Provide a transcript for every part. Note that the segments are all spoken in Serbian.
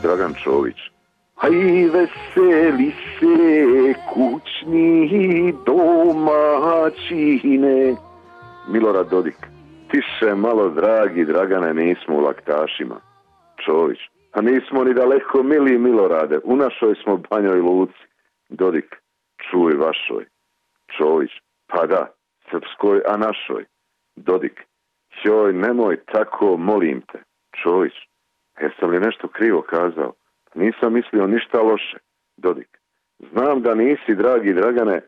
Dragan Čović. Aj veseli se kućni domaćine. Milorad Dodik. Tiše malo, dragi Dragane, nismo u laktašima. Čović. A nismo ni daleko, mili Milorade, u našoj smo Banjoj Luci. Dodik. Čuj vašoj. Čović. Pa da, srpskoj, a našoj. Dodik. Joj, nemoj tako, molim te. Čović. Jesam li nešto krivo kazao? Nisam mislio ništa loše. Dodik. Znam da nisi, dragi Dragane,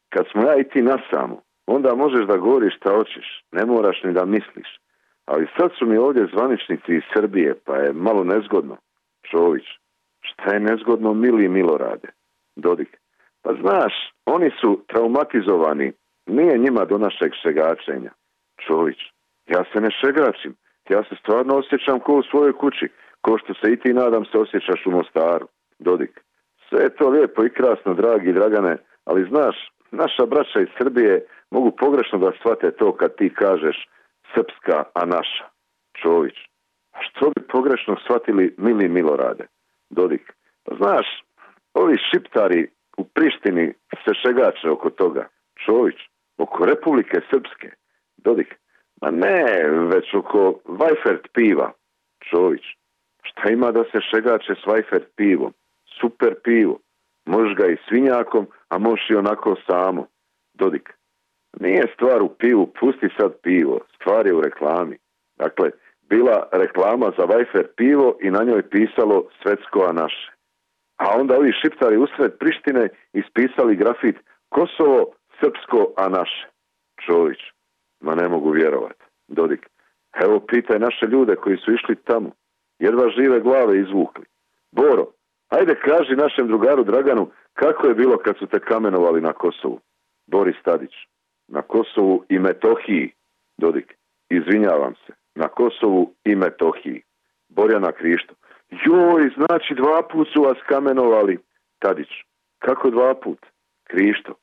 kad smo ja i ti nasamo, onda možeš da govoriš šta hoćeš, ne moraš ni da misliš. Ali sad su mi ovdje zvaničnici iz Srbije, pa je malo nezgodno. Čović. Šta je nezgodno, mili Milorade? Dodik. Pa znaš, oni su traumatizovani, nije njima do našeg šegačenja. Čović. Ja se ne šegačim, ja se stvarno osjećam ko u svojoj kući, ko što se i ti, nadam se, osjećaš u Mostaru. Dodik. Sve je to lijepo i krasno, dragi Dragane, ali znaš, naša braća iz Srbije mogu pogrešno da shvate to kad ti kažeš srpska, a naša. Čović. A što bi pogrešno shvatili, mili Milorade? Dodik. Pa znaš, ovi šiptari u Prištini se šegače oko toga. Čović. Oko Republike Srpske. Dodik. Ma ne, već oko Vajfert piva. Čović. Šta ima da se šegače s Vajfert pivom? Super pivo. Možeš ga i svinjakom, a možeš i onako samo. Dodik. Nije stvar u pivu, pusti sad pivo. Stvar je u reklami. Dakle, bila reklama za Vajfert pivo i na njoj pisalo svetsko, a naše. A onda ovi šiptari usred Prištine ispisali grafit Kosovo, srpsko, a naše. Čović. Ma ne mogu vjerovati. Dodik. Evo pitaj naše ljude koji su išli tamo. Jedva žive glave izvukli. Boro, ajde kaži našem drugaru Draganu kako je bilo kad su te kamenovali na Kosovu. Boris Tadić. Na Kosovu i Metohiji. Dodik. Izvinjavam se. Na Kosovu i Metohiji. Borjana Krišto. Joj, znači 2 put su vas kamenovali. Tadić. Kako 2 put? Krišto.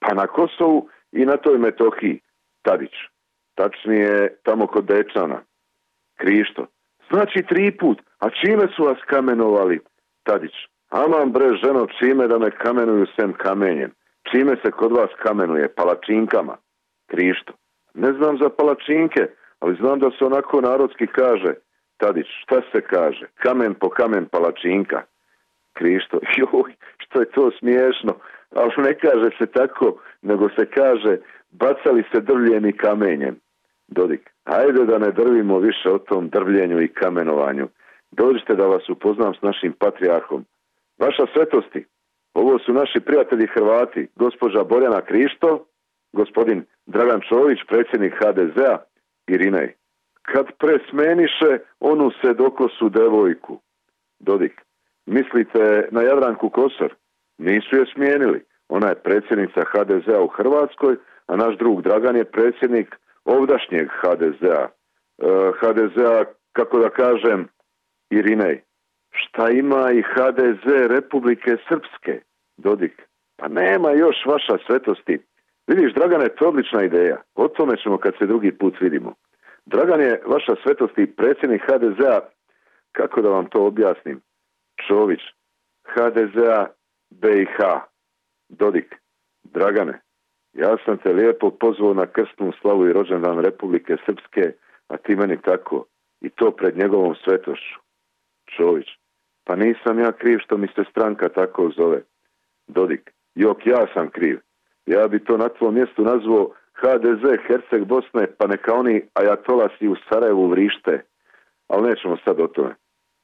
Pa na Kosovu i na toj Metohiji. Tadić. Tačnije tamo kod Dečana. Krišto. Znači 3 put. A čime su vas kamenovali? Tadić. Aman bre, ženo, čime da me kamenuju sem kamenjem? Čime se kod vas kamenuje? Palačinkama. Krišto. Ne znam za palačinke, ali znam da se onako narodski kaže. Tadić. Šta se kaže? Kamen po kamen palačinka. Krišto. Joj, što je to smiješno. Ali ne kaže se tako, nego se kaže bacali se drvljem i kamenjem. Dodik. Ajde da ne drvimo više o tom drvljenju i kamenovanju. Dođite da vas upoznam s našim patrijarhom. Vaša svetosti, ovo su naši prijatelji Hrvati, gospođa Borjana Krišto, gospodin Dragan Čović, predsjednik HDZ-a, Irinej. Kad presmeniše onu sedokosu devojku. Dodik. Mislite na Jadranku Kosor? Nisu je smijenili. Ona je predsjednica HDZ-a u Hrvatskoj, a naš drug Dragan je predsjednik ovdašnjeg HDZ-a. HDZ-a, kako da kažem, Irinej. Šta ima i HDZ Republike Srpske? Dodik. Pa nema još, vaša svetosti. Vidiš, Dragane, to je odlična ideja. O tome ćemo kad se drugi put vidimo. Dragan je, vaša svetosti, predsjednik HDZ-a, kako da vam to objasnim? Čović. HDZ-a BiH. Dodik. Dragane, ja sam te lijepo pozvao na krstnu slavu i rođendan Republike Srpske, a ti meni tako. I to pred njegovom svetošću. Čović. Pa nisam ja kriv što mi se stranka tako zove. Dodik. Jok, ja sam kriv. Ja bi to na tvom mjestu nazvao HDZ Herceg Bosne, pa neka oni ajatolasi u Sarajevu vrište. Ali nećemo sad o tome.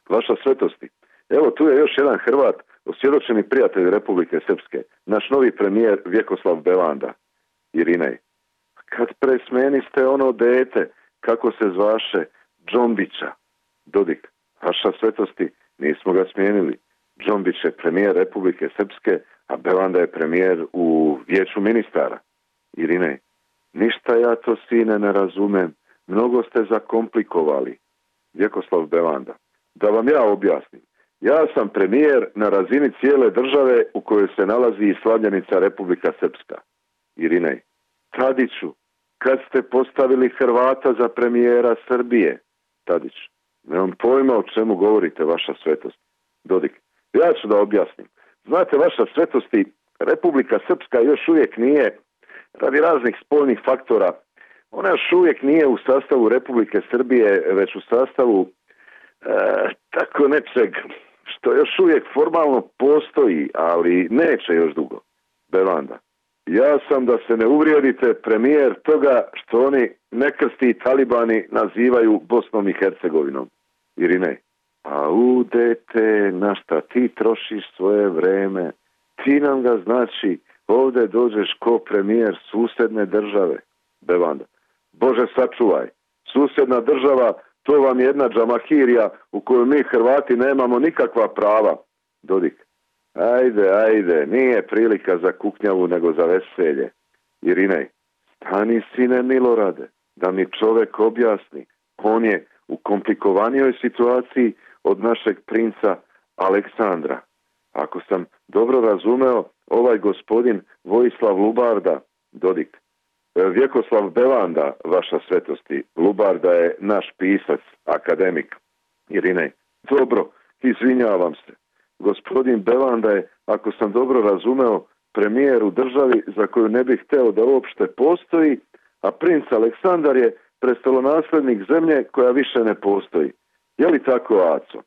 Vaša svetosti. Evo, tu je još jedan Hrvat, osvjedočeni prijatelj Republike Srpske, naš novi premijer Vjekoslav Belanda. Irinej. Kad presmeniste ono dete, kako se zvaše, Džombića. Dodik. Vaša svetosti, nismo ga smijenili. Džombić je premijer Republike Srpske, a Belanda je premijer u vijeću ministara. Irinej. Ništa ja to, sine, ne razumem. Mnogo ste zakomplikovali. Vjekoslav Belanda. Da vam ja objasnim. Ja sam premijer na razini cijele države u kojoj se nalazi i slavljenica Republika Srpska. Irinej. Tadiću, kad ste postavili Hrvata za premijera Srbije? Tadić. Nemam pojma o čemu govorite, vaša svetost. Dodik. Ja ću da objasnim. Znate, vaša svetosti, Republika Srpska još uvijek nije, radi raznih spoljnih faktora, ona još uvijek nije u sastavu Republike Srbije, već u sastavu tako nečeg što još uvijek formalno postoji, ali neće još dugo. Bevanda. Ja sam, da se ne uvrijedite, premijer toga što oni nekrsti talibani nazivaju Bosnom i Hercegovinom. Irine. A dete, na šta ti trošiš svoje vreme? Ti nam ga, znači, ovdje dođeš ko premijer susjedne države. Bevanda. Bože sačuvaj. Susjedna država, to vam je jedna džamahirija u kojoj mi Hrvati nemamo nikakva prava. Dodik. Ajde, nije prilika za kuknjavu nego za veselje. Irinej. Stani, sine Milorade, da mi čovjek objasni. On je u komplikovanijoj situaciji od našeg princa Aleksandra. Ako sam dobro razumeo, ovaj gospodin Vojislav Lubarda, Dodik, Vjekoslav Bevanda, vaša svetosti, Lubarda je naš pisac, akademik. Irinej, dobro, izvinjavam se. Gospodin Bevanda je, ako sam dobro razumeo, premijer u državi za koju ne bih hteo da uopšte postoji, a princ Aleksandar je prestolonaslednik zemlje koja više ne postoji. Je li tako, Aco?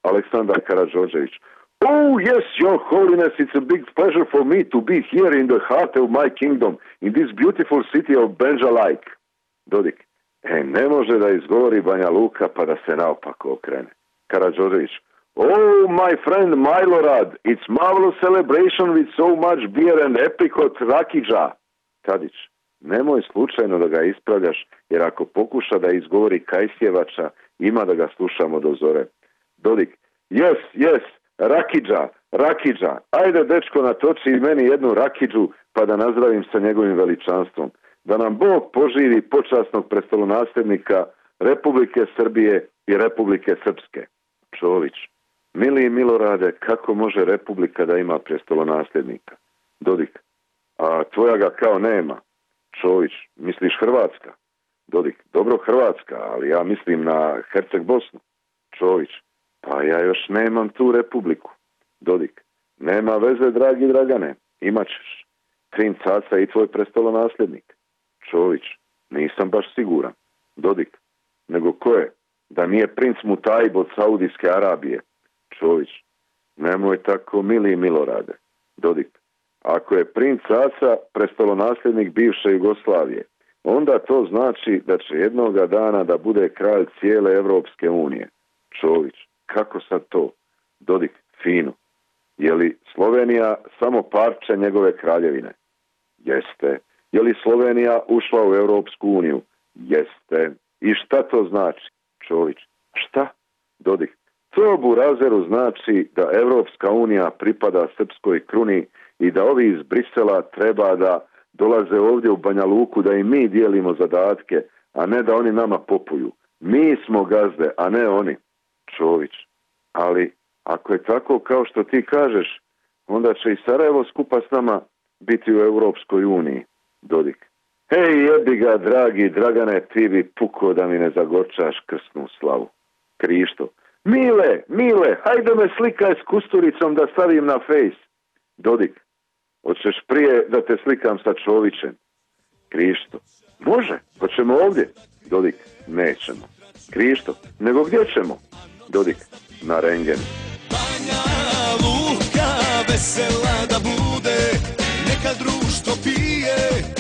Aleksandar Karadžordžević. Oh, yes, your holiness, it's a big pleasure for me to be here in the heart of my kingdom, in this beautiful city of Banja Luka. Dodik. Ne može da izgovori Banja Luka pa da se naopako okrene. Karadžordžević. Oh, my friend Milorad, it's marvelous celebration with so much beer and apricot rakidža. Tadić. Nemoj slučajno da ga ispravljaš, jer ako pokuša da izgovori Kajsjevača, ima da ga slušamo do zore. Dodik. Yes, rakidža. Ajde, dečko, natoči meni jednu rakidžu, pa da nazdravim sa njegovim veličanstvom. Da nam Bog poživi počasnog prestolonasljednika Republike Srbije i Republike Srpske. Čović. Mili Milorade, kako može Republika da ima prestolonasljednika? Dodik. A tvoja ga kao nema. Čović. Misliš Hrvatska? Dodik. Dobro, Hrvatska, ali ja mislim na Herceg Bosnu. Čović. Pa ja još nemam tu republiku. Dodik. Nema veze, dragi Dragane. Imaćeš. Princ Aca i tvoj prestolonasljednik. Čović. Nisam baš siguran. Dodik. Nego ko je? Da nije princ Mutajib od Saudijske Arabije. Čović. Nemoj tako, mili Milorade. Dodik. Ako je princ Aca prestolonasljednik bivše Jugoslavije, onda to znači da će jednoga dana da bude kralj cijele Evropske unije. Čović. Kako sad to? Dodik. Fino. Je li Slovenija samo parče njegove kraljevine? Jeste. Je li Slovenija ušla u Evropsku uniju? Jeste. I šta to znači? Čović. Šta? Dodik. To Burazeru znači da Evropska unija pripada srpskoj kruni i da ovi iz Brisela treba da dolaze ovdje u Banja Luku da i mi dijelimo zadatke, a ne da oni nama popuju. Mi smo gazde, a ne oni. Čović. Ali ako je tako kao što ti kažeš, onda će i Sarajevo skupa s nama biti u Europskoj uniji. Dodik. Hej, jebi ga, dragi Dragane, ti bi puko da mi ne zagorčaš krsnu slavu. Krišto. Mile, hajde me slikaj s Kusturicom da stavim na face. Dodik. Hoćeš prije da te slikam sa Čovićem? Krišto. Može, hoćemo ovdje. Dodik. Nećemo. Krišto. Nego gdje ćemo? Dodik. Na rendgen. Banja Luka vesela da bude, neka društvo pije.